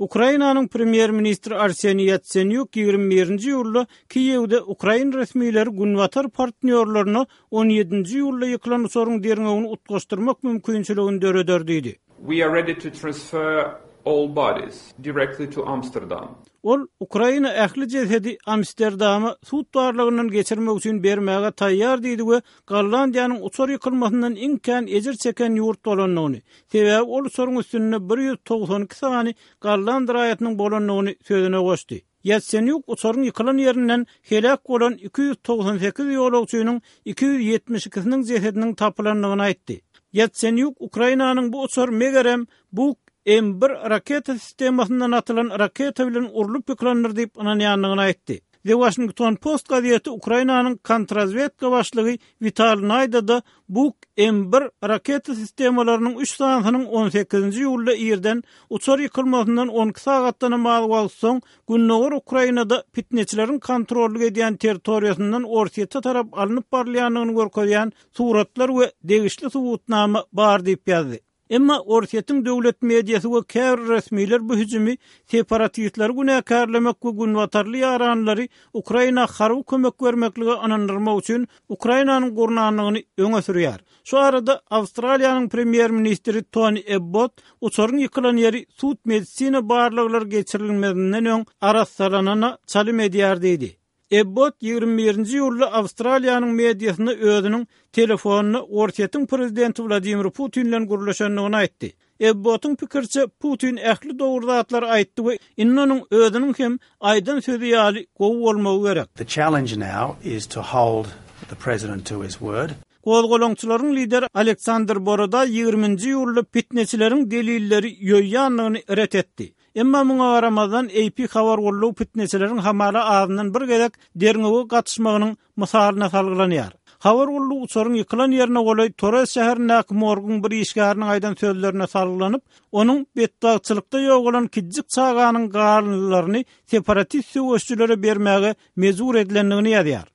Ukrainanyň premýer-ministri Arseniý Ýatsenýuk 21-nji iýulda Kiýewde ukrain resmileri günbatar partnýorlaryna 17-nji iýulda ýykylan uçaryň derňewini utgaşdyrmak mümkinçiligini döreder diýdi. We are ready to transfer all bodies directly to Amsterdam. Ol Ukraina ähli jesedi Amsterdama sud barlagyndan geçirmek üçin bermäge taýýar diýdi we Gollandiýanyň uçar ýykylmasyndan iň kän ejir çeken ýurt bolandygyny, sebäbi ol uçaryň üstünde 192 sany golland raýatynyň bolandygyny sözüne goşdy. Ýatsenýuk uçaryň ýykylan ýerinden heläk bolan 298 ýolagçynyň 272-siniň jesediniň tapylandygyny aýtdy. Ýatsenýuk Ukrainanyň bu uçar megerem Buk M bir raketa sistemasyndan atylan raketa bilen urlup ýykylandyr diýip ynanýandygyny aýtdy. The Washington Post gazeti Ukrainanyň kontrazwedka başlygy Wital Naýdada Buk M bir raketa sistemalarynyň üç sanysynyň on sekizinji iýulda irden uçar ýykylmasyndan on iki sagatdanam az wagt soň gündogar Ukrainada pitneçileriň kontrollyk edýän territoriýasyndan Orsýete tarap alnyp barylýandygyny görkezýän suratlar we degişli subutnama bar diýip ýazdy. Emma Orsýetiň döwlet mediasy we käbir resmiler bu hüjümi separatistleri günäkärlemek we günbatarly ýaranlary Ukraina harby kömek bermeklige ynandyrmak üçin Ukrainanyň gurnandygyny öňe sürýär. Şu arada Awstraliýanyň premýer-ministri Toni Ebbot uçaryň ýykylan ýeri sud-medisina barlaglary geçirilmezinden öň arassalanana çalym edýär diýdi. Ebbot 21-nji iýulda Awstraliýanyň mediasynda özüniň telefonda Orsýetiň prezidenti Wladimir Putin bilen gürleşendigini aýtdy. Ebbotyň pikiriçe, Putin ähli dogry zatlary aýtdy we indi onuň özüniň hem aýdan sözi ýaly gowy bolmagy gerek. The challenge now is to hold the president to his word. Gozgalaňçylaryň lideri Aleksandr Borodaý 20-nji iýulda pitneçileriň delilleri ýoýýandygyny ret etdi. Emma muňa garamazdan, AP habar gullugy pitneçileriň hamala azyndan bir gezek derňewe gatyşmagynyň mysalyna salgylanýar. Habar gullugy uçaryň ýykylan ýerine golaý Torez şäherindäki morguň bir işgäriniň aýdan sözlerine salgylanyp, onuň betbagtçylykda ýogalan kiçijik çaganyň galyndylaryny separatist söweşijilere bermäge mejbur edilendigini ýazýar.